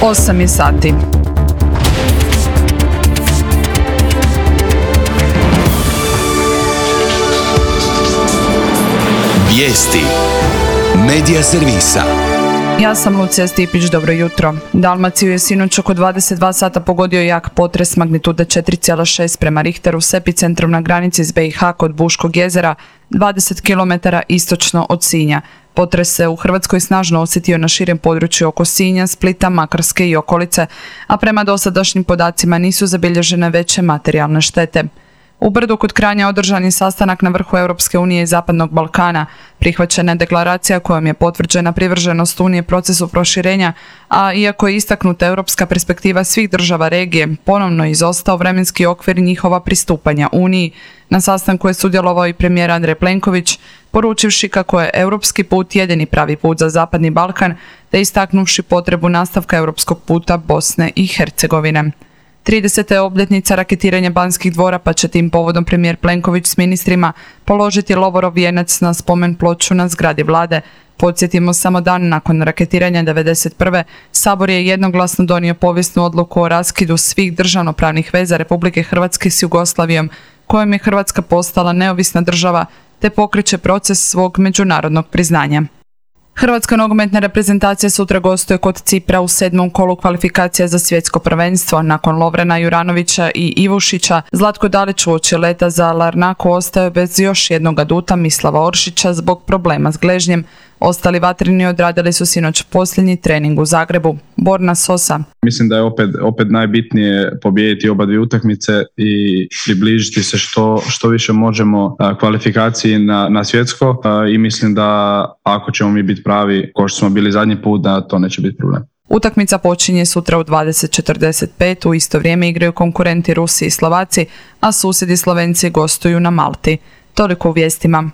8 je sati. Vijesti Medija servisa. Ja sam Lucija Stipić, dobro jutro. Dalmaciju je sinoć oko 22 sata pogodio jak potres magnitude 4,6 prema Richteru s epicentrom na granici s BiH kod Buškog jezera, 20 km istočno od Sinja. Potres se u Hrvatskoj snažno osjetio na širem području oko Sinja, Splita, Makarske i okolice, a prema dosadašnjim podacima nisu zabilježene veće materijalne štete. U Brdu kod Kranja održan je sastanak na vrhu Europske unije i Zapadnog Balkana. Prihvaćena je deklaracija kojom je potvrđena privrženost Unije procesu proširenja, a iako je istaknuta europska perspektiva svih država regije, ponovno je izostao vremenski okvir njihova pristupanja Uniji. Na sastanku je sudjelovao i premijer Andrej Plenković, poručivši kako je europski put jedini pravi put za Zapadni Balkan, te istaknuvši potrebu nastavka europskog puta Bosne i Hercegovine. 30. je obljetnica raketiranja Banskih dvora, pa će tim povodom premijer Plenković s ministrima položiti lovorov vijenac na spomen ploču na zgradi vlade. Podsjetimo, samo dan nakon raketiranja 1991. Sabor je jednoglasno donio povijesnu odluku o raskidu svih državnopravnih veza Republike Hrvatske s Jugoslavijom, kojom je Hrvatska postala neovisna država, te pokreće proces svog međunarodnog priznanja. Hrvatska nogometna reprezentacija sutra gostuje kod Cipra u 7. kolu kvalifikacija za svjetsko prvenstvo. Nakon Lovrena Juranovića i Ivušića, Zlatko Dalić uoči leta za Larnaku ostao bez još jednog aduta Mislava Oršića zbog problema s gležnjem. Ostali vatrini odradili su sinoć posljednji trening u Zagrebu. Borna Sosa. Mislim da je opet najbitnije pobijediti oba dvije utakmice i približiti se što više možemo kvalifikaciji na svjetsko i mislim da ako ćemo mi biti pravi kao što smo bili zadnji put, da to neće biti problem. Utakmica počinje sutra u 20:45, u isto vrijeme igraju konkurenti Rusi i Slovaci, a susjedi Slovenci gostuju na Malti. Toliko u vijestima.